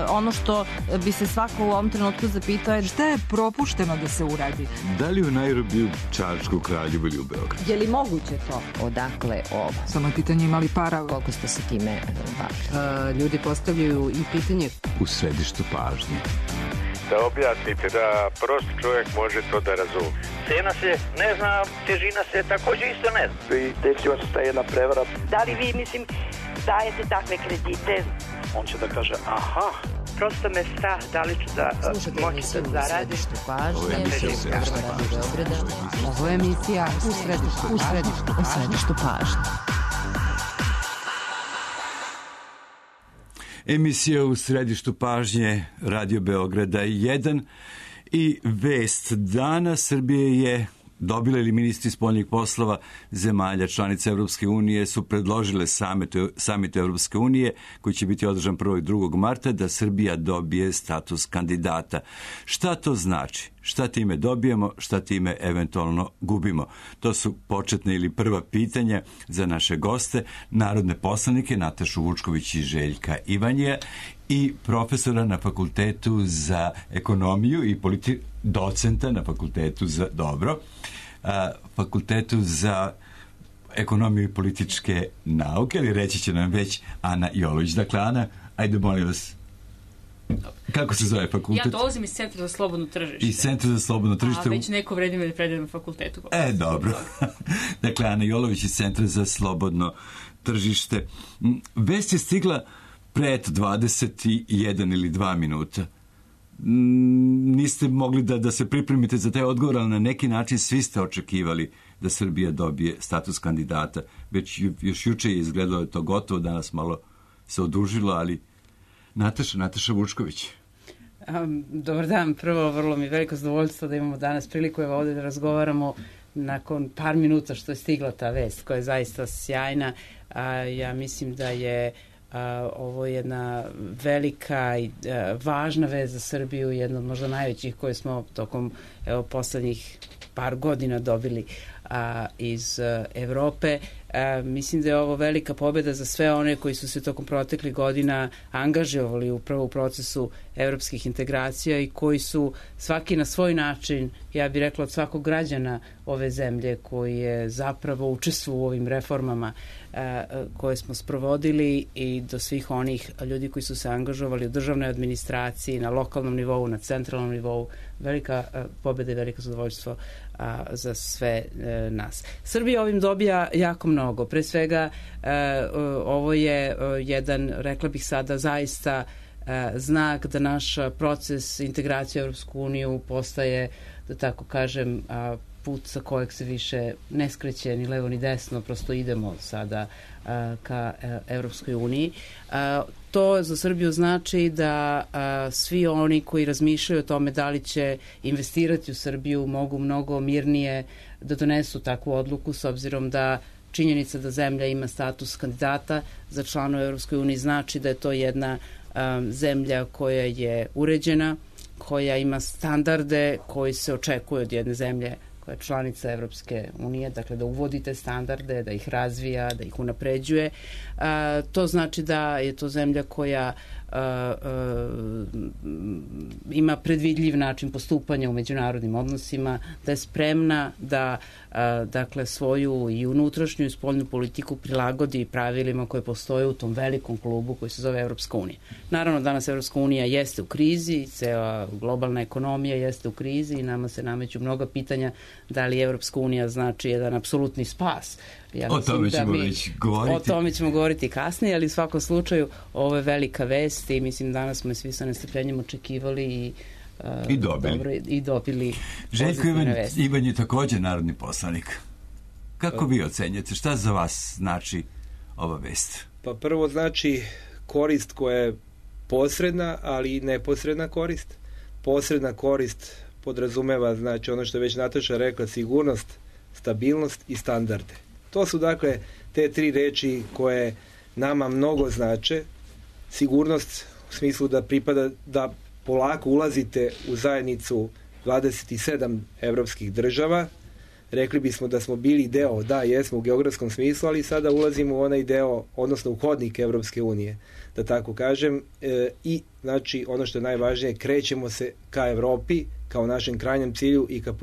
ono što bi se svako u ovom trenutku zapitao je šta je propušteno da se uradi? Da li u Nairobiju, Čačku, Kraljevu ili u Beogradu? Je li moguće to? Odakle ovo? Samo je pitanje imali para. Koliko ste se time bavili? Ljudi postavljaju i pitanje. U središtu pažnje. Da objasnite, da prost čovjek može to da razumije. Cena se ne zna, težina se također isto ne zna. I desila se ta jedna prevara. Da li vi, dajete takve kredite? On će da kaže, aha. Prosto me strah, da li ću da moći da zaradim. Ovo je emisija u središtu pažnje. Ovo je emisija u središtu pažnje. Emisija u središtu pažnje Radio Beograda 1 i vest dana. Srbije je dobila ili ministri spoljnih poslova zemalja članica Evropske unije su predložile samitu Evropske unije koji će biti održan 1. i 2. marta da Srbija dobije status kandidata. Šta to znači? Šta time dobijemo? Šta time eventualno gubimo? To su početne ili prva pitanja za naše goste, narodne poslanike Natašu Vučković i Željka Ivanjija i profesora na Fakultetu za ekonomiju i docenta na Fakultetu za Fakultetu za ekonomiju i političke nauke, ali reći će nam već Ana Jolović. Dakle, Ana, ajde molim vas, kako se zove fakultet? Ja dolazim iz Centra za slobodno tržište. Iz Centra za slobodno tržište. A već neko vreme predajem na fakultetu. Dobro. Dakle, Ana Jolović iz Centra za slobodno tržište. Vest je stigla pred 21 ili 2 minuta. Niste mogli da se pripremite za taj odgovor, ali na neki način svi ste očekivali da Srbija dobije status kandidata. Već još juče je izgledalo to gotovo, danas malo se odužilo, ali Nataša Vučković. Dobar dan, prvo vrlo mi veliko zadovoljstvo da imamo danas priliku ovdje da razgovaramo nakon par minuta što je stigla ta vest koja je zaista sjajna. Ja mislim da je ovo je jedna velika i važna vest za Srbiju, jedna od možda najvećih koje smo tokom poslednjih par godina dobili iz Evrope. Mislim da je ovo velika pobjeda za sve one koji su se tokom proteklih godina angažovali upravo u procesu evropskih integracija i koji su svaki na svoj način, ja bih rekla od svakog građana ove zemlje koji je zapravo učestvovao u ovim reformama koje smo sprovodili i do svih onih ljudi koji su se angažovali u državnoj administraciji, na lokalnom nivou, na centralnom nivou. Velika pobjeda i veliko zadovoljstvo za sve nas. Srbija ovim dobija jako mnogo. Pre svega ovo je jedan, rekla bih sada, zaista znak da naš proces integracije u Evropsku uniju postaje, da tako kažem, put sa kojeg se više ne skreće ni levo ni desno, prosto idemo sada ka Evropskoj uniji. To za Srbiju znači da svi oni koji razmišljaju o tome da li će investirati u Srbiju mogu mnogo mirnije da donesu takvu odluku, s obzirom da činjenica da zemlja ima status kandidata za člana u Evropskoj uniji znači da je to jedna zemlja koja je uređena, koja ima standarde koji se očekuju od jedne zemlje koja je članica Evropske unije, dakle da uvodite standarde, da ih razvija, da ih unapređuje. To znači da je to zemlja koja ima predvidljiv način postupanja u međunarodnim odnosima, da je spremna da dakle svoju i unutrašnju i spoljnu politiku prilagodi pravilima koje postoje u tom velikom klubu koji se zove Evropska unija. Naravno, danas Evropska unija jeste u krizi, cela globalna ekonomija jeste u krizi i nama se nameću mnoga pitanja da li Evropska unija znači jedan apsolutni spas. O tome ćemo već govoriti. O tome ćemo govoriti kasnije, ali u svakom slučaju ovo je velika vest i mislim danas smo je svi sa nestrpljenjem očekivali i dobili Željko Ivan je također narodni poslanik. Kako vi ocenjate? Šta za vas znači ova vest? Pa prvo znači korist koja je posredna, ali i neposredna korist. Posredna korist podrazumeva, znači ono što je već Nataša rekla, sigurnost, stabilnost i standarde. To su dakle te tri reči koje nama mnogo znače. Sigurnost u smislu da pripada da polako ulazite u zajednicu 27 evropskih država, rekli bismo da smo bili deo, da, jesmo u geografskom smislu, ali sada ulazimo u onaj deo, odnosno u hodnik Evropske unije, da tako kažem, i znači ono što je najvažnije, krećemo se ka Evropi, kao našem krajnjem cilju i ka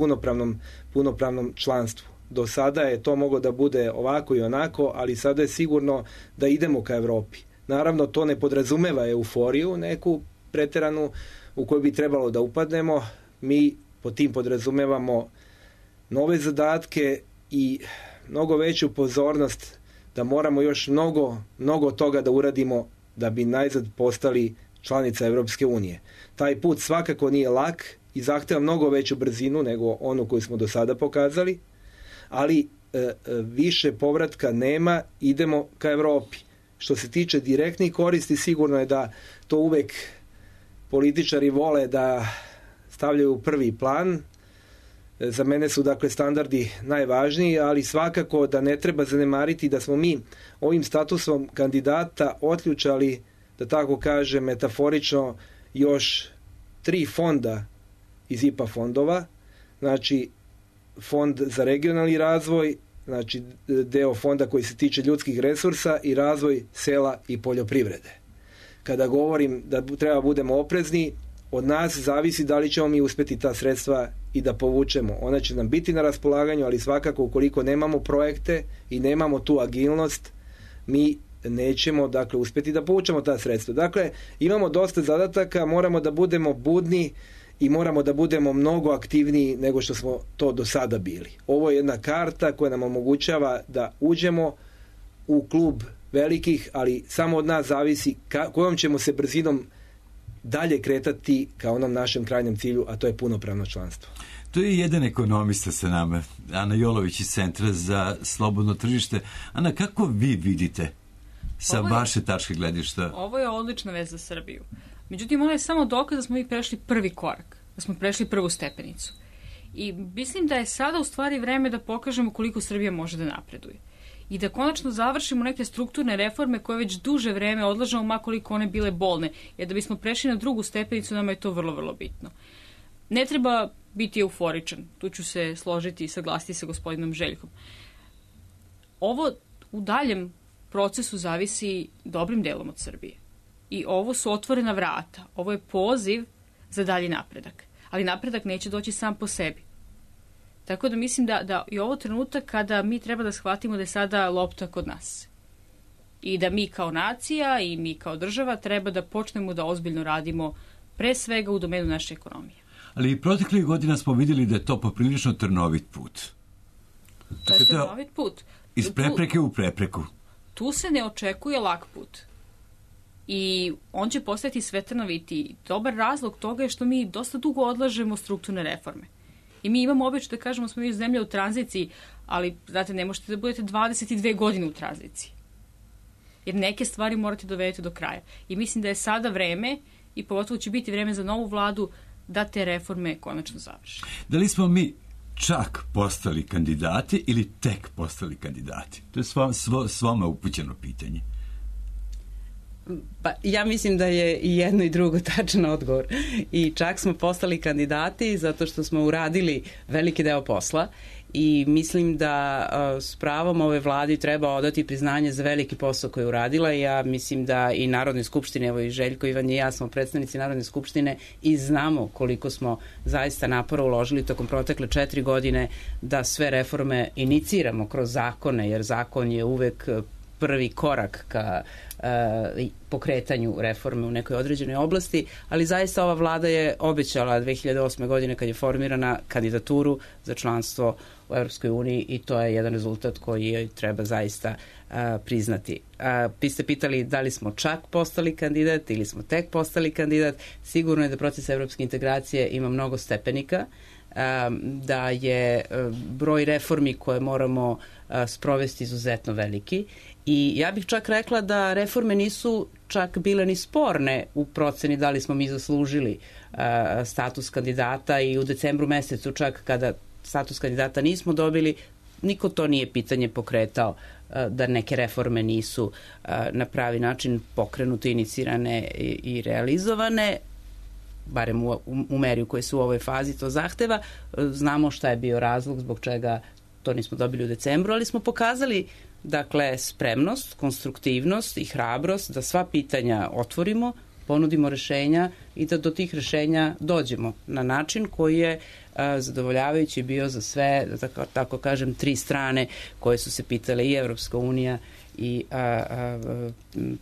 punopravnom članstvu. Do sada je to moglo da bude ovako i onako, ali sada je sigurno da idemo ka Evropi. Naravno, to ne podrazumeva euforiju, neku preteranu u koju bi trebalo da upadnemo. Mi po tim podrazumevamo nove zadatke i mnogo veću pozornost da moramo još mnogo toga da uradimo da bi najzad postali članica Evropske unije. Taj put svakako nije lak i zahteva mnogo veću brzinu nego onu koju smo do sada pokazali, ali više povratka nema, idemo ka Evropi. Što se tiče direktnih koristi, sigurno je da to uvek političari vole da stavljaju u prvi plan. Za mene su dakle standardi najvažniji, ali svakako da ne treba zanemariti da smo mi ovim statusom kandidata otključali, da tako kažem metaforično, još 3 fonda iz IPA fondova, znači fond za regionalni razvoj, znači deo fonda koji se tiče ljudskih resursa i razvoj sela i poljoprivrede. Kada govorim da treba budemo oprezni, od nas zavisi da li ćemo mi uspjeti ta sredstva i da povučemo. Ona će nam biti na raspolaganju, ali svakako ukoliko nemamo projekte i nemamo tu agilnost, mi nećemo dakle uspjeti da povučemo ta sredstva. Dakle, imamo dosta zadataka, moramo da budemo budni i moramo da budemo mnogo aktivniji nego što smo to do sada bili. Ovo je jedna karta koja nam omogućava da uđemo u klub velikih, ali samo od nas zavisi kojom ćemo se brzinom dalje kretati ka onom našem krajnjem cilju, a to je punopravno članstvo. To je jedan ekonomista sa nama, Ana Jolović iz Centra za slobodno tržište. Ana, kako vi vidite sa vaše tačke gledišta? Ovo je odlična vez za Srbiju. Međutim, ovo je samo dokaz da smo mi prešli prvi korak, da smo prešli prvu stepenicu. I mislim da je sada u stvari vreme da pokažemo koliko Srbija može da napreduje. I da konačno završimo neke strukturne reforme koje već duže vreme odlažemo, makoliko one bile bolne. Jer da bismo prešli na drugu stepenicu, nama je to vrlo, vrlo bitno. Ne treba biti euforičan. Tu ću se složiti i saglasiti sa gospodinom Željkom. Ovo u daljem procesu zavisi dobrim delom od Srbije. I ovo su otvorena vrata. Ovo je poziv za dalji napredak. Ali napredak neće doći sam po sebi. Tako da mislim da je ovo trenutak kada mi treba da shvatimo da je sada lopta kod nas. I da mi kao nacija i mi kao država treba da počnemo da ozbiljno radimo pre svega u domenu naše ekonomije. Ali proteklih godina smo vidjeli da je to poprilično trnovit put. To je trnovit put. Iz prepreke u prepreku. Tu se ne očekuje lak put. I on će postati sve trnovitiji. Dobar razlog toga je što mi dosta dugo odlažemo strukturne reforme. I mi imamo običaj da kažemo smo mi zemlja u tranziciji, ali, znate, ne možete da budete 22 godine u tranziciji. Jer neke stvari morate dovedeti do kraja. I mislim da je sada vreme, i pogotovo će biti vreme za novu vladu, da te reforme konačno završi. Da li smo mi čak postali kandidati ili tek postali kandidati? To je svoma upućeno pitanje. Pa, ja mislim da je i jedno i drugo tačan odgovor. I čak smo postali kandidati zato što smo uradili veliki deo posla i mislim da s pravom ove vladi treba odati priznanje za veliki posao koji je uradila. Ja mislim da i Narodne skupštine, evo i Željko, Ivan i ja smo predstavnici Narodne skupštine i znamo koliko smo zaista napora uložili tokom protekle 4 godine da sve reforme iniciramo kroz zakone, jer zakon je uvek prvi korak ka pokretanju reforme u nekoj određenoj oblasti, ali zaista ova vlada je obećala 2008. godine kad je formirana kandidaturu za članstvo u Europskoj uniji i to je jedan rezultat koji joj treba zaista priznati. Vi ste pitali da li smo čak postali kandidat ili smo tek postali kandidat. Sigurno je da proces evropske integracije ima mnogo stepenika, da je broj reformi koje moramo sprovesti izuzetno veliki i ja bih čak rekla da reforme nisu čak bile ni sporne u proceni da li smo mi zaslužili status kandidata i u decembru mesecu čak kada status kandidata nismo dobili, niko to nije pitanje pokretao da neke reforme nisu na pravi način pokrenute, inicirane i realizovane, barem u meri u kojoj se u ovoj fazi to zahteva. Znamo šta je bio razlog zbog čega to nismo dobili u decembru, ali smo pokazali dakle spremnost, konstruktivnost i hrabrost da sva pitanja otvorimo, ponudimo rešenja i da do tih rešenja dođemo na način koji je zadovoljavajući bio za sve, da tako kažem, tri strane koje su se pitale, i Evropska unija i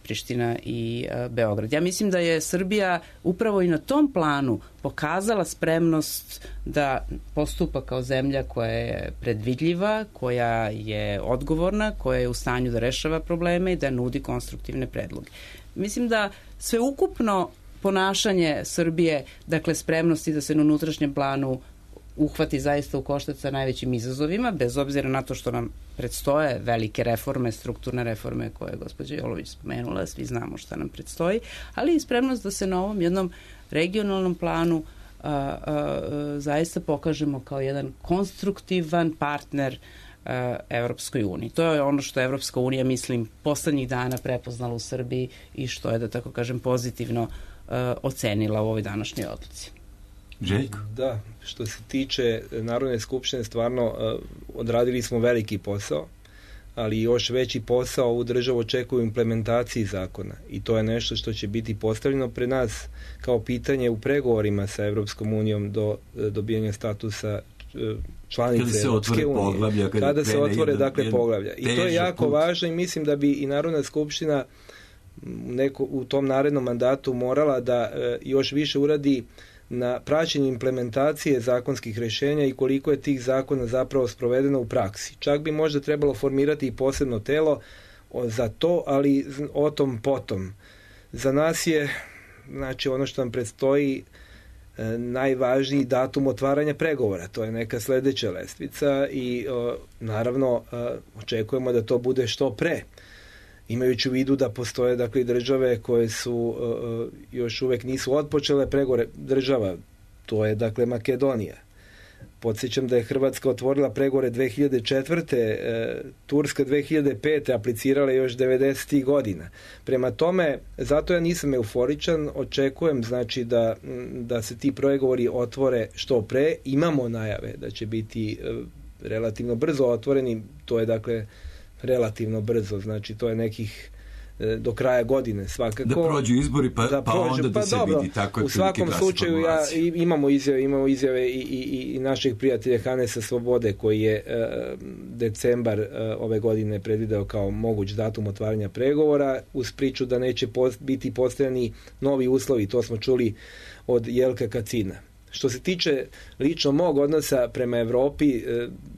Priština i Beograd. Ja mislim da je Srbija upravo i na tom planu pokazala spremnost da postupa kao zemlja koja je predvidljiva, koja je odgovorna, koja je u stanju da rešava probleme i da nudi konstruktivne predloge. Mislim da sveukupno ponašanje Srbije, dakle spremnosti da se na unutrašnjem planu uhvati zaista u koštac sa najvećim izazovima, bez obzira na to što nam predstoje velike reforme, strukturne reforme koje je gospođa Jolović spomenula, svi znamo šta nam predstoji, ali i spremnost da se na ovom jednom regionalnom planu zaista pokažemo kao jedan konstruktivan partner Evropskoj uniji. To je ono što Evropska unija, mislim, poslednjih dana prepoznala u Srbiji i što je, da tako kažem, pozitivno ocenila u ovoj današnjoj odluci. Željko? Da, što se tiče Narodne skupštine, stvarno odradili smo veliki posao, ali još veći posao u državu očekuju implementaciji zakona i to je nešto što će biti postavljeno pre nas kao pitanje u pregovorima sa Evropskom unijom do dobijanja statusa članice Evropske unije. Kada se otvore, dakle, poglavlja. I to je jako važno i mislim da bi i Narodna skupština u tom narednom mandatu morala da još više uradi na praćenju implementacije zakonskih rešenja i koliko je tih zakona zapravo sprovedeno u praksi. Čak bi možda trebalo formirati i posebno telo za to, ali o tom potom. Za nas je, znači, ono što nam predstoji najvažniji datum otvaranja pregovora. To je neka sledeća lestvica i naravno očekujemo da to bude što pre. Imajući u vidu da postoje, dakle, države koje su još uvek nisu otpočele pregovore. Država, to je, dakle, Makedonija. Podsjećam da je Hrvatska otvorila pregovore 2004. Turska 2005. aplicirala još 90. godina. Prema tome, zato ja nisam euforičan, očekujem, znači, da se ti pregovori otvore što pre. Imamo najave da će biti relativno brzo otvoreni, to je, dakle, relativno brzo, znači to je nekih do kraja godine svakako. Da prođu izbori pa onda da se dobro, vidi tako. U svakom slučaju imamo izjave i našeg prijatelja Hanesa Svobode koji je decembar ove godine predvideo kao moguć datum otvaranja pregovora uz priču da neće biti postavljeni novi uslovi, to smo čuli od Jelka Kacina. Što se tiče lično mog odnosa prema Evropi,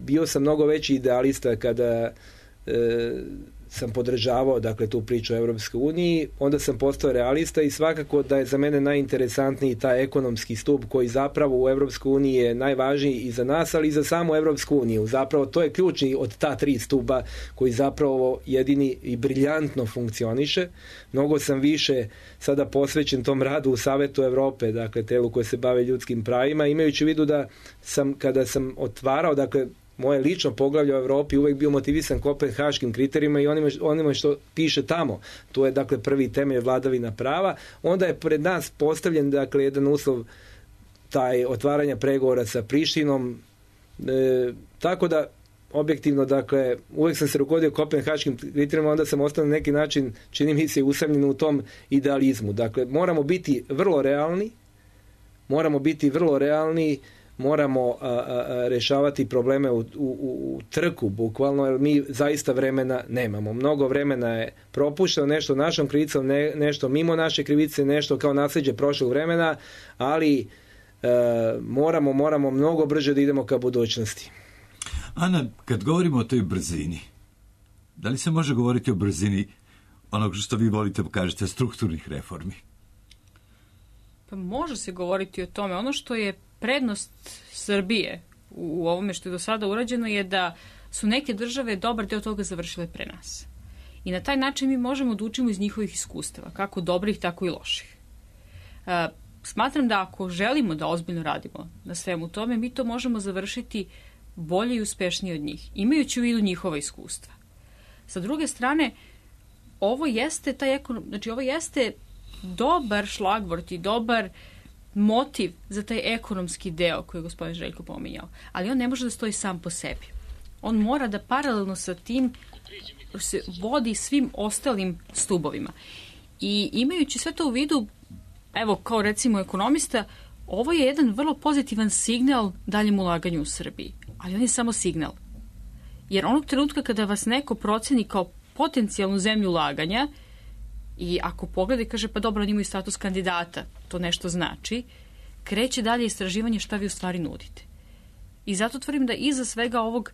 bio sam mnogo veći idealista kada sam podržavao, dakle, tu priču o Evropskoj uniji, onda sam postao realista i svakako da je za mene najinteresantniji taj ekonomski stup koji zapravo u Evropskoj uniji je najvažniji i za nas, ali i za samu Evropsku uniju. Zapravo to je ključni od ta tri stuba koji zapravo jedini i briljantno funkcioniše. Mnogo sam više sada posvećen tom radu u Savetu Evrope, dakle, telu koje se bave ljudskim pravima, imajući u vidu da sam, kada sam otvarao, dakle, moje lično poglavlje u Evropi, uvek bio motivisan kopenhaškim kriterijima i onima što piše tamo. To je, dakle, prvi temelj vladavina prava. Onda je pred nas postavljen, dakle, jedan uslov taj otvaranja pregovora sa Prištinom. Tako da, objektivno, dakle, uvek sam se rukodio kopenhaškim kriterijima, onda sam ostao na neki način, čini mi se, usamljen u tom idealizmu. Dakle, moramo biti vrlo realni, moramo rešavati probleme u trku, bukvalno, jer mi zaista vremena nemamo. Mnogo vremena je propušteno, nešto našom krivicom, nešto mimo naše krivice, nešto kao nasleđe prošlog vremena, ali moramo mnogo brže da idemo ka budućnosti. Ana, kad govorimo o toj brzini, da li se može govoriti o brzini onog što vi volite kažete strukturnih reformi? Pa može se govoriti o tome. Ono što je prednost Srbije u ovome što je do sada urađeno je da su neke države dobar deo toga završile pre nas. I na taj način mi možemo da učimo iz njihovih iskustava, kako dobrih, tako i loših. Smatram da ako želimo da ozbiljno radimo na svemu tome, mi to možemo završiti bolje i uspešnije od njih, imajući u vidu njihova iskustva. Sa druge strane, ovo jeste dobar šlagvort i dobar motiv za taj ekonomski deo koji je gospodin Željko pominjao, ali on ne može da stoji sam po sebi. On mora da paralelno sa tim se vodi svim ostalim stubovima. I imajući sve to u vidu, evo kao recimo ekonomista, ovo je jedan vrlo pozitivan signal daljem ulaganju u Srbiji. Ali on je samo signal. Jer onog trenutka kada vas neko proceni kao potencijalnu zemlju ulaganja i ako pogleda i kaže pa dobro, oni imaju status kandidata, to nešto znači, kreće dalje istraživanje šta vi u stvari nudite. I zato tvrdim da iza svega ovog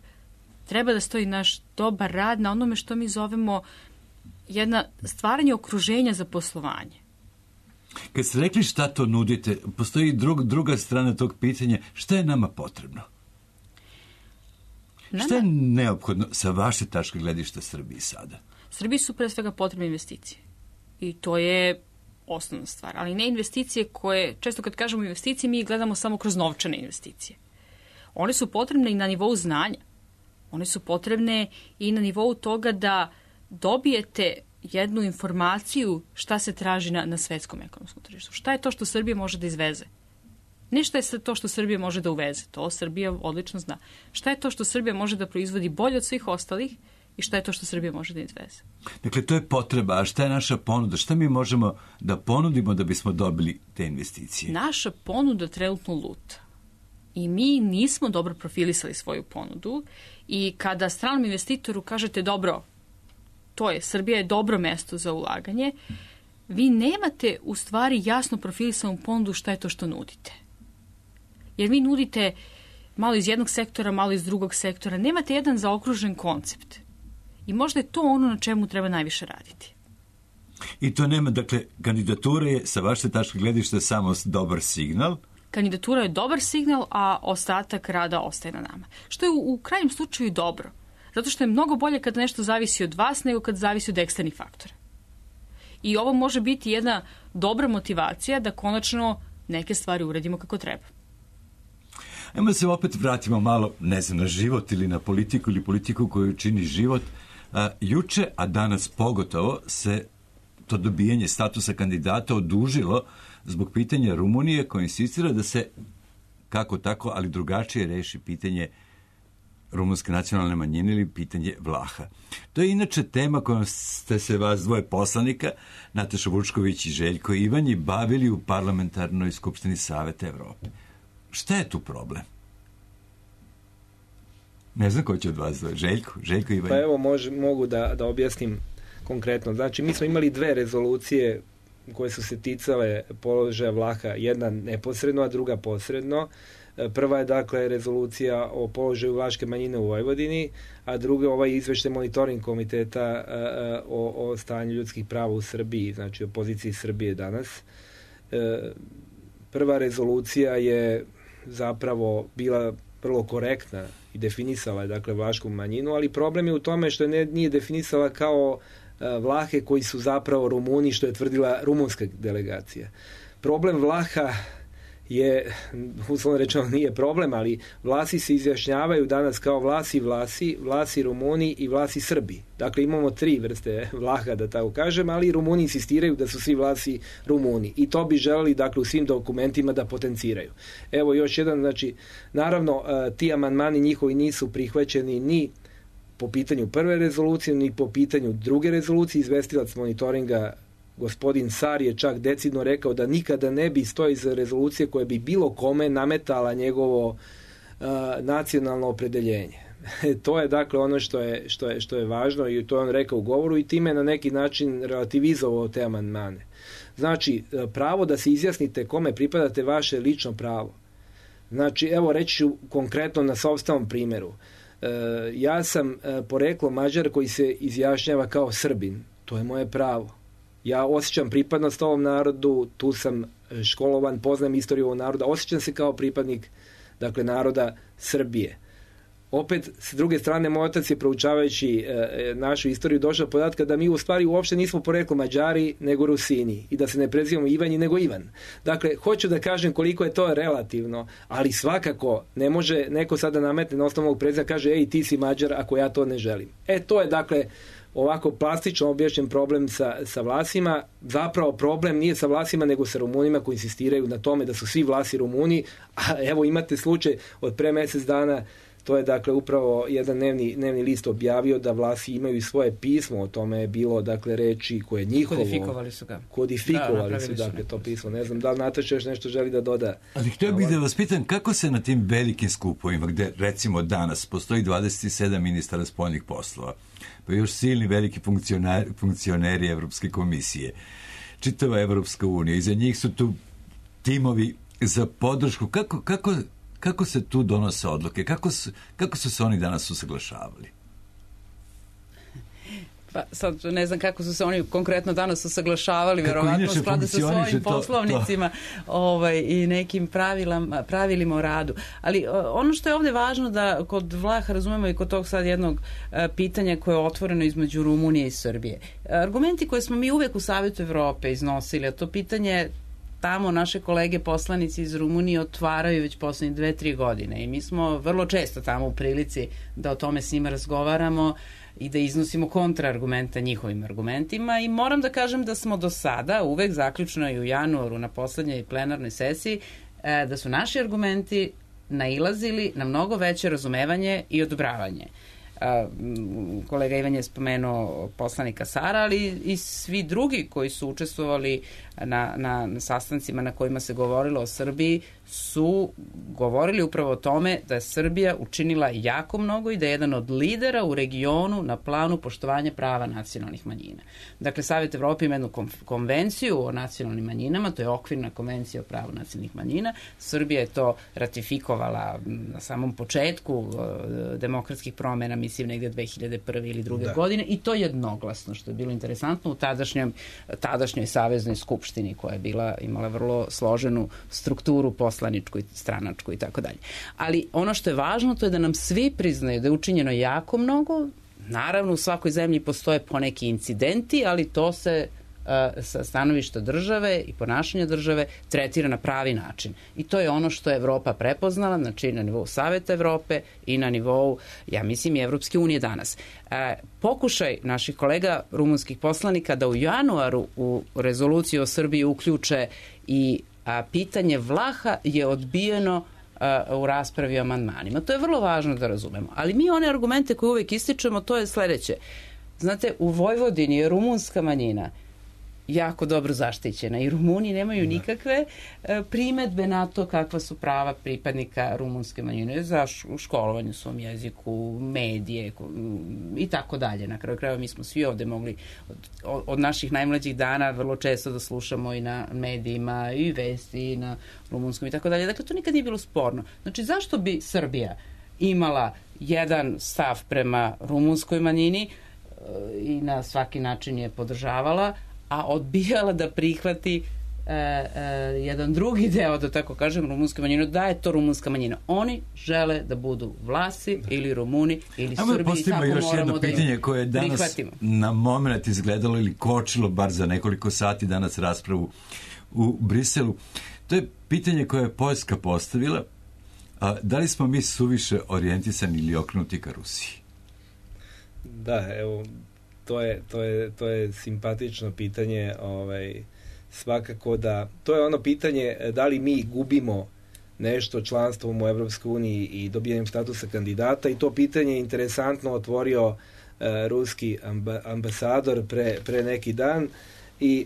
treba da stoji naš dobar rad na onome što mi zovemo jedna stvaranje okruženja za poslovanje. Kad ste rekli šta to nudite, postoji druga strana tog pitanja, šta je nama potrebno? Šta je neophodno sa vaše tačke gledišta Srbiji sada? Srbiji su pre svega potrebne investicije. I to je osnovna stvar. Ali ne investicije koje, često kad kažemo investicije, mi gledamo samo kroz novčane investicije. One su potrebne i na nivou znanja. One su potrebne i na nivou toga da dobijete jednu informaciju šta se traži na svetskom ekonomskom tržištu. Šta je to što Srbija može da izveze? Ne šta je to što Srbija može da uveze, to Srbija odlično zna. Šta je to što Srbija može da proizvodi bolje od svih ostalih i šta je to što Srbija može da izveze? Dakle, to je potreba, a šta je naša ponuda? Šta mi možemo da ponudimo da bismo dobili te investicije? Naša ponuda trenutno luta. I mi nismo dobro profilisali svoju ponudu i kada stranom investitoru kažete dobro, to je, Srbija je dobro mesto za ulaganje, vi nemate u stvari jasno profilisanu ponudu šta je to što nudite. Jer vi nudite malo iz jednog sektora, malo iz drugog sektora, nemate jedan zaokružen koncept. I možda je to ono na čemu treba najviše raditi. I to nema, dakle, kandidatura je sa vaše tačke gledišta samo dobar signal? Kandidatura je dobar signal, a ostatak rada ostaje na nama. Što je u krajnjem slučaju dobro. Zato što je mnogo bolje kada nešto zavisi od vas nego kad zavisi od eksternih faktora. I ovo može biti jedna dobra motivacija da konačno neke stvari uradimo kako treba. Ajmo da se opet vratimo malo, ne znam, na život ili na politiku ili politiku koju čini život. Juče, a danas pogotovo, se to dobijanje statusa kandidata odužilo zbog pitanja Rumunije koja insistira da se kako tako, ali drugačije reši pitanje rumunske nacionalne manjine ili pitanje Vlaha. To je inače tema kojom ste se vas dvoje poslanika, Nataša Vučković i Željko Ivanji, bavili u Parlamentarnoj skupštini Saveta Evrope. Šta je tu problem? Ne znam ko će od vas dvoje. Željko Ivanji. Pa evo mogu da objasnim konkretno. Znači, mi smo imali 2 rezolucije koje su se ticale položaja Vlaha, jedna neposredno, a druga posredno. Prva je, dakle, rezolucija o položaju vlaške manjine u Vojvodini, a druga ovaj izveštaj monitoring komiteta o stanju ljudskih prava u Srbiji, znači o poziciji Srbije danas. Prva rezolucija je zapravo bila vrlo korektna i definisala je, dakle, vlašku manjinu, ali problem je u tome što nije definisala kao Vlahe koji su zapravo Rumuni, što je tvrdila rumunska delegacija. Problem Vlaha je, uslovno rečeno nije problem, ali Vlasi se izjašnjavaju danas kao Vlasi Rumuni i Vlasi Srbi. Dakle, imamo 3 vrste Vlaha, da tako kažem, ali Rumuni insistiraju da su svi Vlasi Rumuni. I to bi želeli, dakle, u svim dokumentima da potenciraju. Evo još jedan, znači, naravno, ti amandmani njihovi nisu prihvaćeni ni po pitanju prve rezolucije, ni po pitanju druge rezolucije. Izvestilac monitoringa gospodin Sar je čak decidno rekao da nikada ne bi stoji za rezolucije koje bi bilo kome nametala njegovo nacionalno opredeljenje. To je, dakle, ono što je važno i to je on rekao u govoru i time na neki način relativizovao te amandmane. Znači, pravo da se izjasnite kome pripadate vaše lično pravo. Znači, evo reći ću konkretno na sopstvenom primjeru. Ja sam poreklo Mađar koji se izjašnjava kao Srbin. To je moje pravo. Ja osjećam pripadnost ovom narodu, tu sam školovan, poznajem istoriju ovog naroda, osjećam se kao pripadnik, dakle, naroda Srbije. Opet, s druge strane, moj otac je, proučavajući našu istoriju, došao do podatka da mi u stvari uopšte nismo poreklo Mađari nego Rusini i da se ne prezivamo Ivanji nego Ivan. Dakle, hoću da kažem koliko je to relativno, ali svakako ne može neko sada nametne na osnovu ovog prezivka, kaže ej, ti si Mađar ako ja to ne želim. To je, dakle, ovako plastično objašnjen problem sa Vlasima. Zapravo problem nije sa Vlasima nego sa Rumunima koji insistiraju na tome da su svi Vlasi Rumuni, a evo imate slučaj od pre mjesec dana To je dakle upravo jedan dnevni list objavio da Vlasi imaju i svoje pismo, o tome je bilo dakle reči koje njihovo... Kodifikovali su ga. Kodifikovali su dakle to pismo. Ne znam da li Nataša još nešto želi da doda. Ali htio bih da vas pitam kako se na tim velikim skupovima, gde recimo danas postoji 27 ministara spoljnih poslova, pa još silni veliki funkcioneri Evropske komisije, čitava Evropska unija, iza njih su tu timovi za podršku. Kako se tu donose odluke? Kako su se oni danas usaglašavali? Pa sad ne znam kako su se oni konkretno danas usaglašavali, verovatno u skladu sa svojim poslovnicima i nekim pravilima o radu. Ali ono što je ovde važno da kod Vlaha razumemo i kod tog sad jednog pitanja koje je otvoreno između Rumunije i Srbije. Argumenti koje smo mi uvek u Savetu Evrope iznosili, a to pitanje tamo naše kolege poslanici iz Rumunije otvaraju već poslednje 2-3 godine i mi smo vrlo često tamo u prilici da o tome s njima razgovaramo i da iznosimo kontraargumenta njihovim argumentima i moram da kažem da smo do sada, uvek zaključno i u januaru na poslednjoj plenarnoj sesiji, da su naši argumenti nailazili na mnogo veće razumevanje i odobravanje. Kolega Ivan je spomenuo poslanika Sara, ali i svi drugi koji su učestvovali na sastancima na kojima se govorilo o Srbiji su govorili upravo o tome da je Srbija učinila jako mnogo i da je jedan od lidera u regionu na planu poštovanja prava nacionalnih manjina. Dakle, Savet Evrope ima jednu konvenciju o nacionalnim manjinama, to je okvirna konvencija o pravu nacionalnih manjina. Srbija je to ratifikovala na samom početku demokratskih promena, mislim negde 2001. ili 2. godine i to jednoglasno, što je bilo interesantno u tadašnjoj saveznoj skupštini koja je imala vrlo složenu strukturu poslaničku i stranačku i tako dalje. Ali ono što je važno to je da nam svi priznaju da je učinjeno jako mnogo. Naravno u svakoj zemlji postoje poneki incidenti, ali to se sa stanovišta države i ponašanja države tretira na pravi način. I to je ono što je Evropa prepoznala, znači na nivou Saveta Evrope i na nivou, ja mislim, i Evropske unije danas. Pokušaj naših kolega rumunskih poslanika da u januaru u rezoluciju o Srbiji uključe i pitanje Vlaha je odbijeno u raspravi o amandmanima. To je vrlo važno da razumemo. Ali mi one argumente koje uvek ističemo, to je sledeće. Znate, u Vojvodini je rumunska manjina jako dobro zaštićena i Rumuni nemaju nikakve primetbe na to kakva su prava pripadnika rumunske manjine za školovanje u svom jeziku, medije i tako dalje. Na kraju krajeva mi smo svi ovde mogli od naših najmlađih dana vrlo često da slušamo i na medijima i vesti i na rumunskom i tako dalje. Dakle, to nikad nije bilo sporno. Znači, zašto bi Srbija imala jedan stav prema rumunskoj manjini i na svaki način je podržavala, a odbijala da prihvati jedan drugi deo, da tako kažem, rumunske manjine, da je to rumunska manjina. Oni žele da budu Vlasi ili Rumuni ili Srbi i tako još moramo jedno da pitanje koje je danas prihvatimo. Na moment izgledalo ili kočilo bar za nekoliko sati danas raspravu u Briselu. To je pitanje koje je Poljska postavila. Da li smo mi suviše orijentisani ili okrenuti ka Rusiji? Da, evo, to je simpatično pitanje, svakako da, to je ono pitanje da li mi gubimo nešto članstvom u Evropskoj uniji i dobijanjem statusa kandidata i to pitanje je interesantno otvorio ruski ambasador pre neki dan i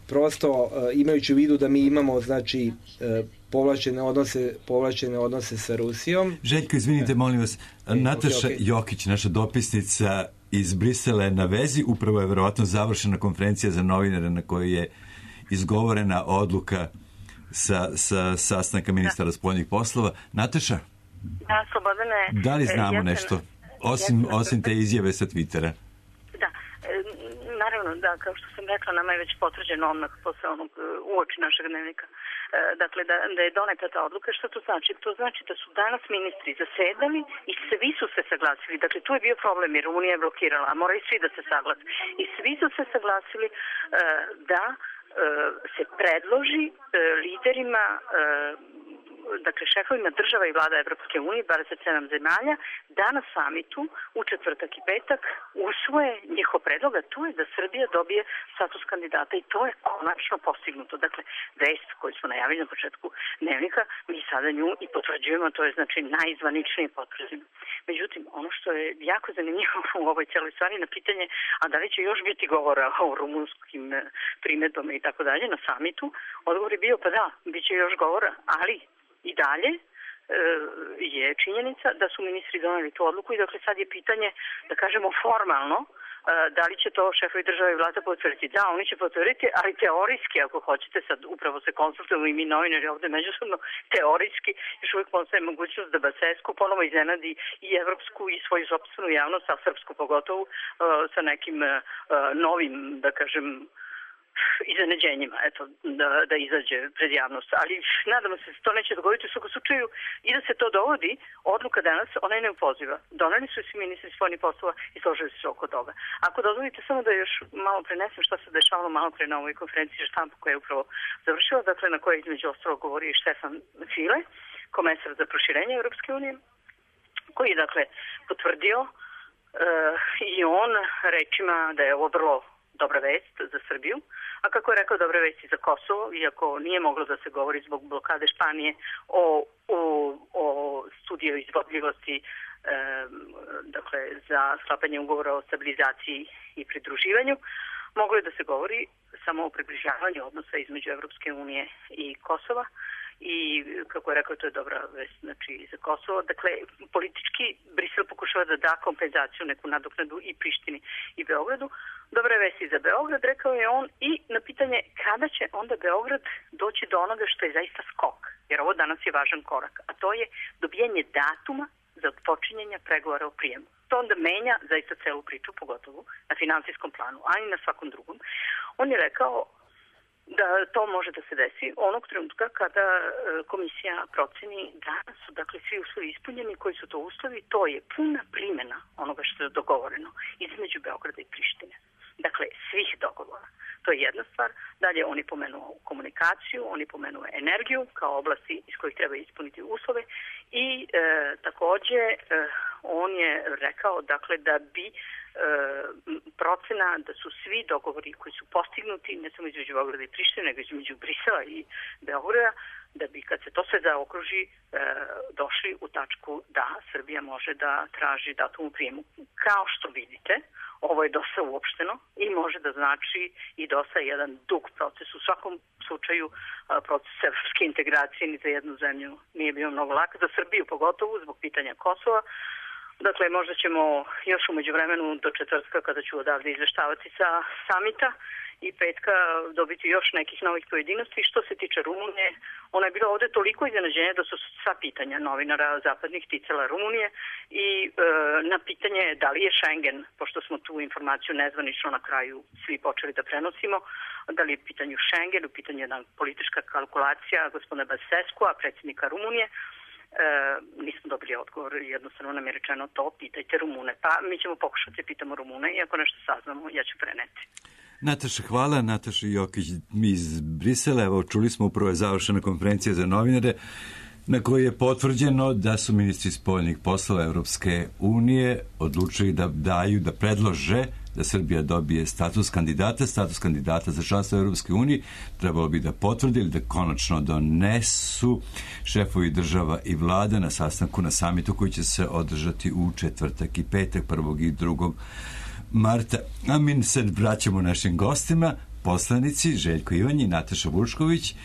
prosto imajući u vidu da mi imamo znači povlačene odnose sa Rusijom. Željko, izvinite, molim vas, Nataša Jokić, naša dopisnica iz Brisela je na vezi, upravo je verovatno završena konferencija za novinare na kojoj je izgovorena odluka sa sastanka ministara spoljnih poslova. Nataša? Da, Slobodane. Da li znamo nešto? Osim te izjave sa Twittera. Da, naravno, da, kao što sam rekla, nama je već potvrđeno odmah posle onog uoči našeg dnevnika. Dakle, da je doneta ta odluka. Što to znači? To znači da su danas ministri zasedali i svi su se saglasili. Dakle, tu je bio problem jer Unija je blokirala, a moraju svi da se saglase. I svi su se saglasili da se predloži liderima dakle, šefovima država i vlada Evropske unije, 27 zemalja, da na samitu u četvrtak i petak usvoje njihov predlog, a to je da Srbija dobije status kandidata i to je konačno postignuto. Dakle, vest koju smo najavili na početku dnevnika, mi sada nju i potvrđujemo, to je znači najzvaničnije potvrđeno. Međutim, ono što je jako zanimljivo u ovoj celoj stvari na pitanje, a da li će još biti govora o rumunskim primedbama i tako dalje na samitu, odgovor je bio pa da, bit će još govora, ali i dalje je činjenica da su ministri doneli tu odluku i dakle sad je pitanje, da kažemo formalno, da li će to šefovi države i vlada potvrditi. Da, oni će potvrditi, ali teorijski, ako hoćete, sad upravo se konsultujemo i mi novinari ovde međusobno, teorijski još uvijek postoji mogućnost da Basescu ponovo iznenadi i evropsku i svoju sopstvenu javnost, a srpsku pogotovo, sa nekim novim, da kažem, iznenađenjima, eto, da izađe pred javnost. Ali nadamo se da to neće dogoditi u svakom slučaju i da se to dovodi, odluka danas, ona je neopoziva. Doneli su svi ministri spoljnih poslova i složili su se oko toga. Ako dozvolite samo da još malo prenesem što se dešavalo malo pre na ovoj konferenciji štampa koja je upravo završila, dakle na kojoj između ostalog govori i Štefan File, komesar za proširenje Europske unije, koji je dakle potvrdio i on rečima da je ovo vrlo dobra vest za Srbiju, a kako je rekao dobra vest i za Kosovo, iako nije moglo da se govori zbog blokade Španije o studiju izvodljivosti dakle, za sklapanje ugovora o stabilizaciji i pridruživanju, moglo je da se govori samo o približavanju odnosa između Evropske unije i Kosova. I, kako je rekao, to je dobra vest, znači, za Kosovo. Dakle, politički Brisel pokušava da da kompenzaciju, neku nadoknadu i Prištini i Beogradu. Dobra vest i za Beograd, rekao je on, i na pitanje kada će onda Beograd doći do onoga što je zaista skok, jer ovo danas je važan korak, a to je dobijanje datuma za odpočinjenje pregovora o prijemu. To onda menja zaista celu priču, pogotovo na finansijskom planu, a i na svakom drugom. On je rekao da to može da se desi onog trenutka kada komisija proceni da su dakle svi uslovi ispunjeni. Koji su to uslovi? To je puna primjena onoga što je dogovoreno između Beograda i Prištine. Dakle, svih dogovora. To je jedna stvar. Dalje on je pomenuo komunikaciju, on je pomenuo energiju kao oblasti iz kojih treba ispuniti uslove i takođe on je rekao dakle da bi procena da su svi dogovori koji su postignuti ne samo između Beograda i Prištine, nego između Brisela i Beograda, da bi kad se to sve zaokruži došli u tačku da Srbija može da traži datum u prijemu. Kao što vidite, ovo je dosta uopšteno i može da znači i dosta jedan dug proces. U svakom slučaju proces evropske integracije ni za jednu zemlju nije bio mnogo lak, za Srbiju pogotovo zbog pitanja Kosova. Dakle, možda ćemo još u međuvremenu do četvrtka, kada ću odavde izveštavati sa samita, i petka dobiti još nekih novih pojedinosti. Što se tiče Rumunije, ona je bila ovde toliko iznenađenja da su sva pitanja novinara zapadnih ticala Rumunije i na pitanje da li je Schengen, pošto smo tu informaciju nezvanično na kraju svi počeli da prenosimo, da li je u pitanju Schengen, u pitanju jedna politička kalkulacija gospodina Basescua, predsjednika Rumunije, nismo dobili odgovor, jednostavno nam je rečeno to, pitajte Rumune. Pa mi ćemo pokušati, pitamo Rumune i ako nešto saznamo, ja ću preneti. Nataša, hvala. Nataša Jokić iz Brisela. Evo, čuli smo, upravo je završena konferencija za novinare na kojoj je potvrđeno da su ministri spoljnih poslova Evropske unije odlučili da predlože da Srbija dobije status kandidata za članstvo Evropske unije. Trebalo bi da potvrde ili da konačno donesu šefovi država i vlada na sastanku na samitu koji će se održati u četvrtak i petak, 1. i 2. marta. A mi se vraćamo našim gostima, poslanici Željko Ivanj i Nataša Vučković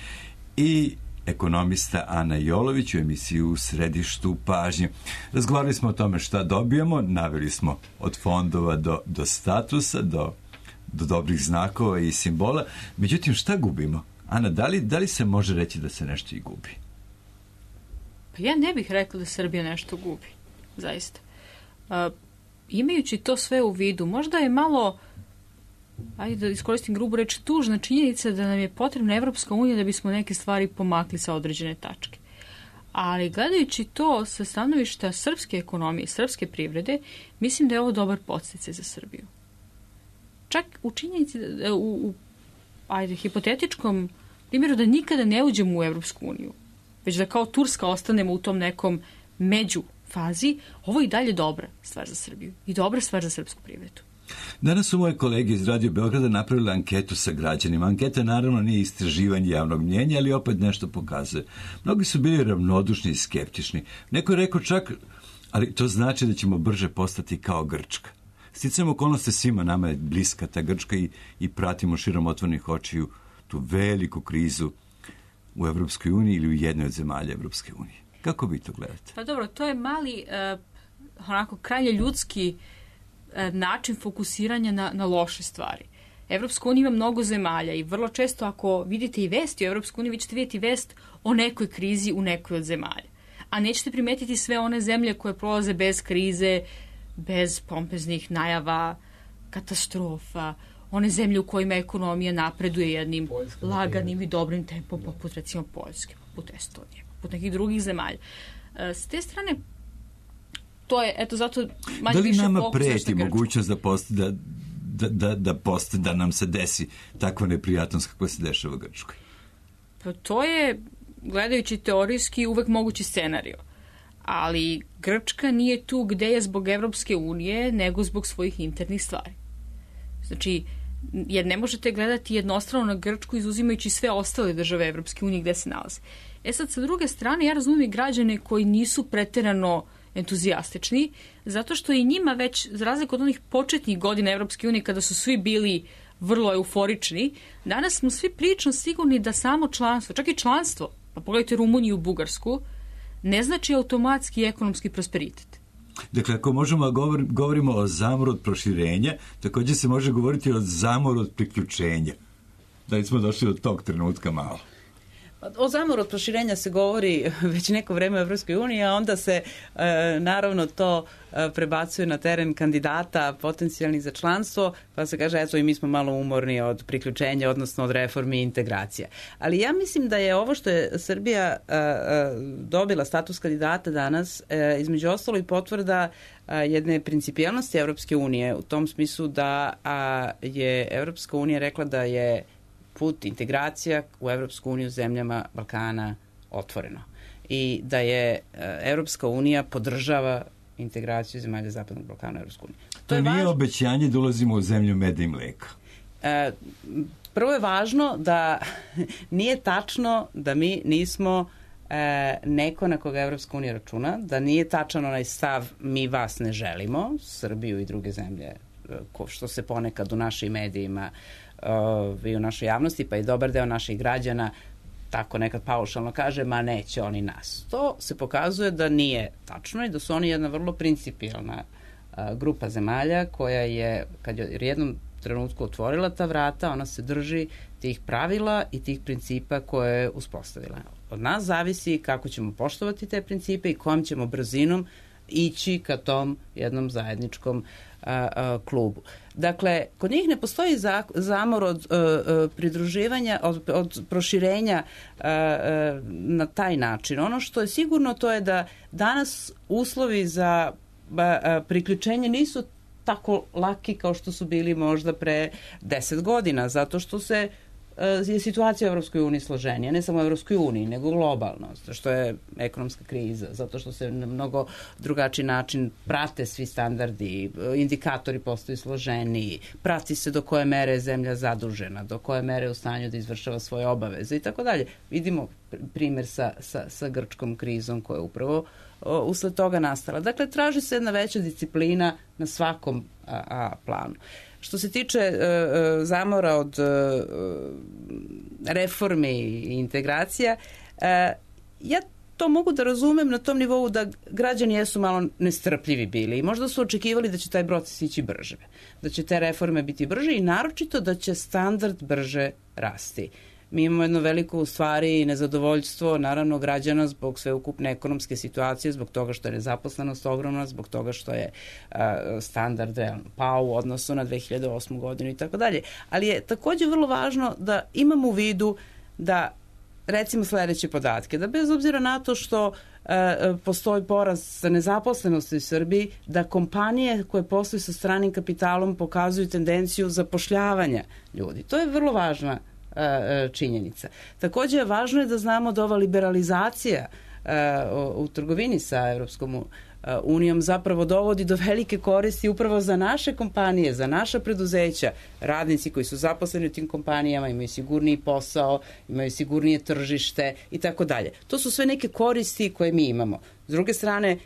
i ekonomista Ana Jolović u emisiju U središtu pažnje. Razgovarali smo o tome šta dobijamo, naveli smo od fondova do statusa, do dobrih znakova i simbola. Međutim, šta gubimo? Ana, da li se može reći da se nešto i gubi? Pa ja ne bih rekla da Srbija nešto gubi, zaista. Imajući to sve u vidu, možda je malo, ajde da iskoristim grubu reč, tužna činjenica da nam je potrebna Evropska unija da bismo neke stvari pomakli sa određene tačke. Ali gledajući to sa stanovišta srpske ekonomije, srpske privrede, mislim da je ovo dobar podsticaj za Srbiju. Čak u činjenici, u hipotetičkom primjeru da nikada ne uđemo u Evropsku uniju. već da kao Turska ostanemo u tom nekom među fazi, ovo je i dalje dobra stvar za Srbiju i dobra stvar za srpsku privredu. Danas su moje kolege iz Radio Beograda napravili anketu sa građanima. Anketa naravno nije istraživanje javnog mnjenja, ali opet nešto pokazuje. Mnogi su bili ravnodušni i skeptični. Neko je rekao čak, ali to znači da ćemo brže postati kao Grčka. Sticajem okolnosti svima nama je bliska ta Grčka i pratimo širom otvorenih očiju tu veliku krizu u Evropskoj uniji ili u jednoj od zemalja Evropske unije. Kako vi to gledate? Pa dobro, to je mali, onako, krajnje ljudski način fokusiranja na loše stvari. Evropska unija ima mnogo zemalja i vrlo često ako vidite i vesti o Evropskoj uniji, vi ćete vidjeti vest o nekoj krizi u nekoj od zemalja. A nećete primetiti sve one zemlje koje prolaze bez krize, bez pompeznih najava, katastrofa, one zemlje u kojima ekonomija napreduje jednim laganim i dobrim tempom, poput recimo Poljske, poput Estonije, poput nekih drugih zemalja. S te strane, to je, eto, zato manje više fokus. Da li nama preti mogućnost da nam se desi takva neprijatnost kako se dešava u Grčkoj? Pa to je, gledajući teorijski, uvek mogući scenario. Ali Grčka nije tu gde je zbog Evropske unije, nego zbog svojih internih stvari. Znači, jer ne možete gledati jednostrano na Grčku izuzimajući sve ostale države Evropske unije gde se nalaze. Sad, sa druge strane, ja razumijem i građane koji nisu preterano entuzijastični, zato što i njima već, za razliku od onih početnih godina Evropske unije, kada su svi bili vrlo euforični, danas smo svi prilično sigurni da samo članstvo, čak i članstvo, pa pogledajte Rumuniju i Bugarsku, ne znači automatski ekonomski prosperitet. Dakle, ako možemo govorimo o zamoru od proširenja, također se može govoriti o zamoru od priključenja. Da li smo došli do tog trenutka malo? O zamoru od proširenja se govori već neko vreme u Evropskoj uniji, a onda se naravno to prebacuje na teren kandidata potencijalnih za članstvo, pa se kaže, eto, i mi smo malo umorni od priključenja, odnosno od reformi i integracija. Ali ja mislim da je ovo što je Srbija dobila status kandidata danas, između ostalo i potvrda jedne principijelnosti Evropske unije, u tom smislu da je Evropska unija rekla da je put integracija u Evropsku uniju zemljama Balkana otvoreno. I da je Evropska unija podržava integraciju zemalja Zapadnog Balkana u Evropsku uniju. To nije obećanje da ulazimo u zemlju meda i mleka. Prvo je važno da nije tačno da mi nismo neko na koga Evropska unija računa, da nije tačan onaj stav mi vas ne želimo, Srbiju i druge zemlje, što se ponekad u našim medijima i u našoj javnosti, pa i dobar deo naših građana tako nekad paušalno kaže, ma neće oni nas. To se pokazuje da nije tačno i da su oni jedna vrlo principijelna grupa zemalja koja je, kad je jednom trenutku otvorila ta vrata, ona se drži tih pravila i tih principa koje je uspostavila. Od nas zavisi kako ćemo poštovati te principe i kojom ćemo brzinom ići ka tom jednom zajedničkom klubu. Dakle, kod njih ne postoji zamor od pridruživanja, od proširenja na taj način. Ono što je sigurno to je da danas uslovi za priključenje nisu tako laki kao što su bili možda pre 10 godina, zato što je situacija u Evropskoj uniji složenija, ne samo u Evropskoj uniji, nego globalno, što je ekonomska kriza, zato što se na mnogo drugačiji način prate svi standardi, indikatori postaju složeniji, prati se do koje mere je zemlja zadužena, do koje mere je u stanju da izvršava svoje obaveze i tako dalje. Vidimo primjer sa grčkom krizom koja je upravo usled toga nastala. Dakle, traži se jedna veća disciplina na svakom planu. Što se tiče zamora od reformi i integracija, ja to mogu da razumem na tom nivou da građani jesu malo nestrpljivi bili i možda su očekivali da će taj proces ići brže, da će te reforme biti brže i naročito da će standard brže rasti. Mi imamo jedno veliko u stvari nezadovoljstvo naravno građana zbog sveukupne ekonomske situacije, zbog toga što je nezaposlenost ogromna, zbog toga što je standard pao u odnosu na 2008. godinu i tako dalje. Ali je također vrlo važno da imamo u vidu da recimo sljedeće podatke, da bez obzira na to što postoji porast nezaposlenosti u Srbiji, da kompanije koje posluju sa stranim kapitalom pokazuju tendenciju zapošljavanja ljudi. To je vrlo važna činjenica. Takođe, važno je da znamo da ova liberalizacija u trgovini sa Evropskom unijom zapravo dovodi do velike koristi upravo za naše kompanije, za naša preduzeća. Radnici koji su zaposleni u tim kompanijama imaju sigurniji posao, imaju sigurnije tržište i tako dalje. To su sve neke koristi koje mi imamo. S druge strane,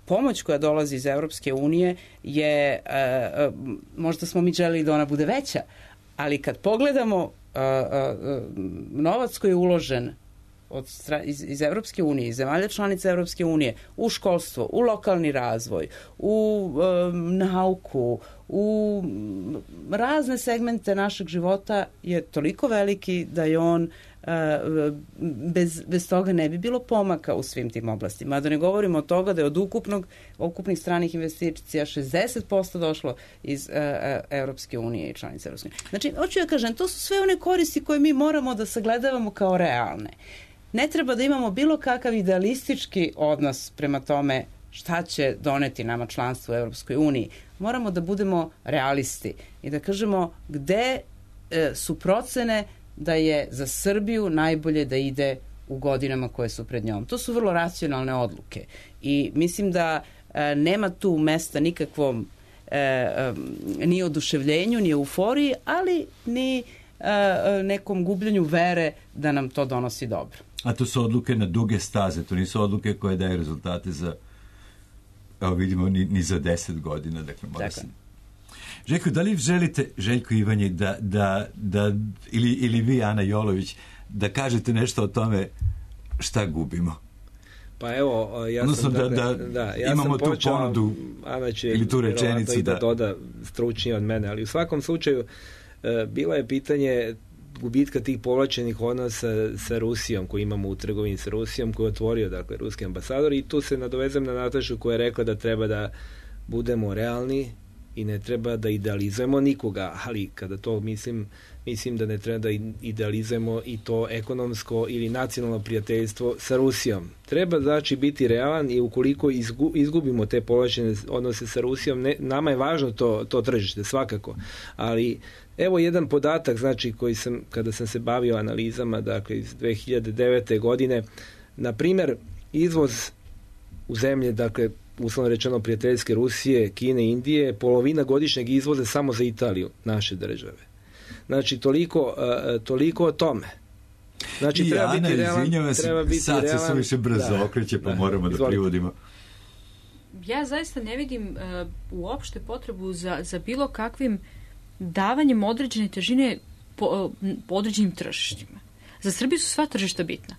pomoć koja dolazi iz Evropske unije je, možda smo mi želeli da ona bude veća, ali kad pogledamo novac koji je uložen iz Evropske unije, iz zemalja članica Evropske unije, u školstvo, u lokalni razvoj, u nauku, u razne segmente našeg života je toliko veliki da je on bez toga ne bi bilo pomaka u svim tim oblastima. A da ne govorimo od toga da je od ukupnih stranih investicija 60% došlo iz Evropske unije i članice Evropske unije. Znači, hoću ja kažem, to su sve one koristi koje mi moramo da sagledavamo kao realne. Ne treba da imamo bilo kakav idealistički odnos prema tome šta će doneti nama članstvo u Evropskoj uniji. Moramo da budemo realisti i da kažemo gde su procene da je za Srbiju najbolje da ide u godinama koje su pred njom. To su vrlo racionalne odluke i mislim da nema tu mesta nikakvom ni oduševljenju, ni euforiji, ali ni nekom gubljenju vere da nam to donosi dobro. A to su odluke na duge staze, to nisu odluke koje daju rezultate za, evo vidimo, ni za 10 godina. Dakle, mora se... Željko, da li želite, Željko Ivanji, da ili vi, Ana Jolović, da kažete nešto o tome šta gubimo? Pa evo, ja odnosno sam, ja imamo sam počeo, tu ponudu ili tu rečenicu da doda stručnije od mene, ali u svakom slučaju bilo je pitanje gubitka tih povlačenih odnosa sa Rusijom koji imamo u trgovini sa Rusijom, koji je otvorio, dakle, ruski ambasador, i tu se nadovezam na Natašu koja je rekla da treba da budemo realni i ne treba da idealizujemo nikoga, ali kada to mislim da ne treba da idealizujemo i to ekonomsko ili nacionalno prijateljstvo sa Rusijom. Treba, znači, biti realan i ukoliko izgubimo te povlačene odnose sa Rusijom, nama je važno to tržište, svakako, ali evo jedan podatak, znači, koji sam, kada sam se bavio analizama, dakle, iz 2009. godine, na primjer, izvoz u zemlje, dakle, uslovno rečeno prijateljske Rusije, Kine, Indije, polovina godišnjeg izvoza samo za Italiju, naše države. Znači, toliko o tome. Znači, treba biti realan. Sad se suviše brzo okreće, pa moramo da privodimo. Ja zaista ne vidim uopšte potrebu za bilo kakvim davanjem određene težine po određenim tržištima. Za Srbiju su sva tržišta bitna.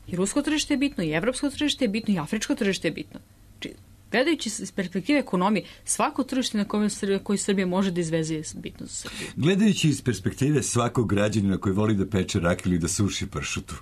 I rusko tržište je bitno, i evropsko tržište je bitno, i afričko tržište je bitno. Znači, gledajući iz perspektive ekonomije, svako tržište na koje Srbija može da izveze je bitno za Srbiju. Gledajući iz perspektive svakog građanina koji voli da peče rakiju ili da suši pršutu.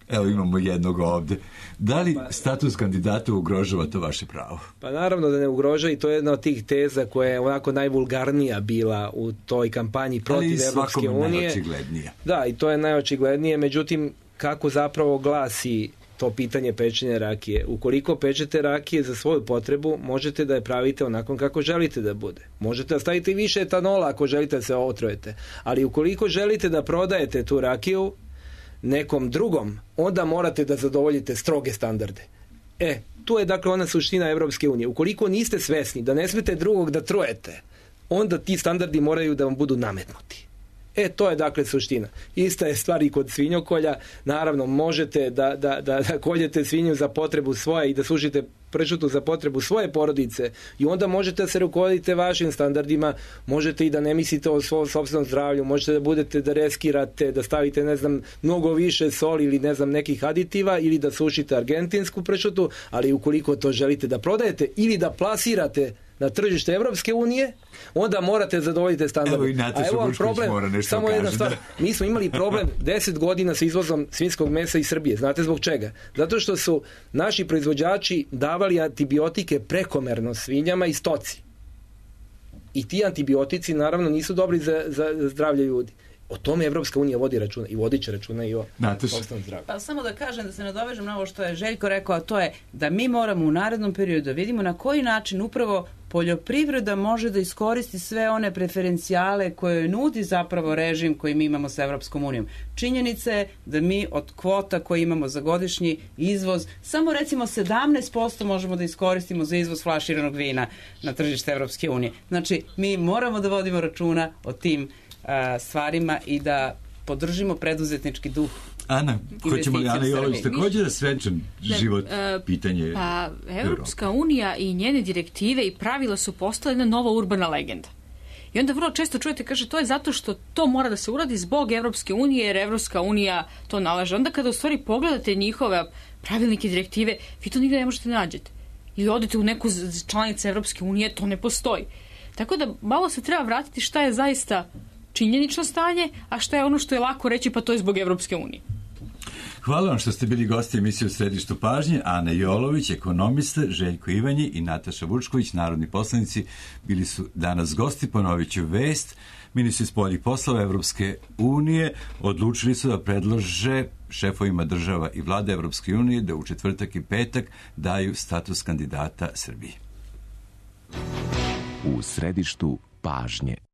Evo, imamo jednog ovde. Da li status kandidata ugrožava to vaše pravo? Pa naravno da ne ugrožava, i to je jedna od tih teza koja je onako najvulgarnija bila u toj kampanji protiv Evropske unije. Ali najočiglednija. Da, i to je najočiglednije, međutim, kako zapravo glasi to pitanje pečenja rakije? Ukoliko pečete rakije za svoju potrebu, možete da je pravite onako kako želite da bude. Možete da stavite više etanola ako želite da se otrujete. Ali ukoliko želite da prodajete tu rakiju nekom drugom, onda morate da zadovoljite stroge standarde. Tu je, dakle, ona suština Evropske unije. Ukoliko niste svesni da ne smete drugog da trujete, onda ti standardi moraju da vam budu nametnuti. To je, dakle, suština. Ista je stvar i kod svinjokolja. Naravno, možete da koljete svinju za potrebu svoje i da sušite pršutu za potrebu svoje porodice, i onda možete da se rukovodite vašim standardima, možete i da ne mislite o svom sopstvenom zdravlju, možete da reskirate, da stavite, ne znam, mnogo više soli ili, ne znam, nekih aditiva, ili da sušite argentinsku pršutu, ali ukoliko to želite da prodajete ili da plasirate na tržište Evropske unije, onda morate zadovoljiti standarde. Evo vam problem, samo jedna stvar. Mi smo imali problem 10 godina sa izvozom svinjskog mesa iz Srbije. Znate zbog čega? Zato što su naši proizvođači davali antibiotike prekomerno svinjama i stoci. I ti antibiotici, naravno, nisu dobri za zdravlje ljudi. O tome Evropska unija vodi računa i vodit će računa i o sopstvenom zdravlju. Pa samo da kažem, da se nadovežem na ovo što je Željko rekao, a to je da mi moramo u narednom periodu da vidimo na koji način upravo poljoprivreda može da iskoristi sve one preferencijale koje nudi zapravo režim koji mi imamo sa Evropskom unijom. Činjenica je da mi od kvota koje imamo za godišnji izvoz, samo recimo 17% možemo da iskoristimo za izvoz flaširanog vina na tržište Evropske unije. Znači, mi moramo da vodimo računa o tim stvarima i da podržimo preduzetnički duh. Ana, hoćemo li Ana Jolović također da svečan život pitanje? Pa, Evropska unija i njene direktive i pravila su postale jedna nova urbana legenda. I onda vrlo često čujete, kaže, to je zato što to mora da se uradi zbog Evropske unije, jer Evropska unija to nalaže. Onda kada u stvari pogledate njihove pravilnike, direktive, vi to nigde ne možete nađete. Ili odete u neku članicu Evropske unije, to ne postoji. Tako da malo se treba vratiti šta je zaista činjenično stanje, a šta je ono što je lako reći, pa to je zbog Evropske unije. Hvala vam što ste bili gosti emisije U središtu pažnje. Ana Jolović, ekonomista, Željko Ivanji i Nataša Vučković, narodni poslanici, bili su danas gosti. Ponovit ću vest. Ministri spoljnih poslova Evropske unije odlučili su da predlože šefovima država i vlade Evropske unije da u četvrtak i petak daju status kandidata Srbiji. U središtu pažnje.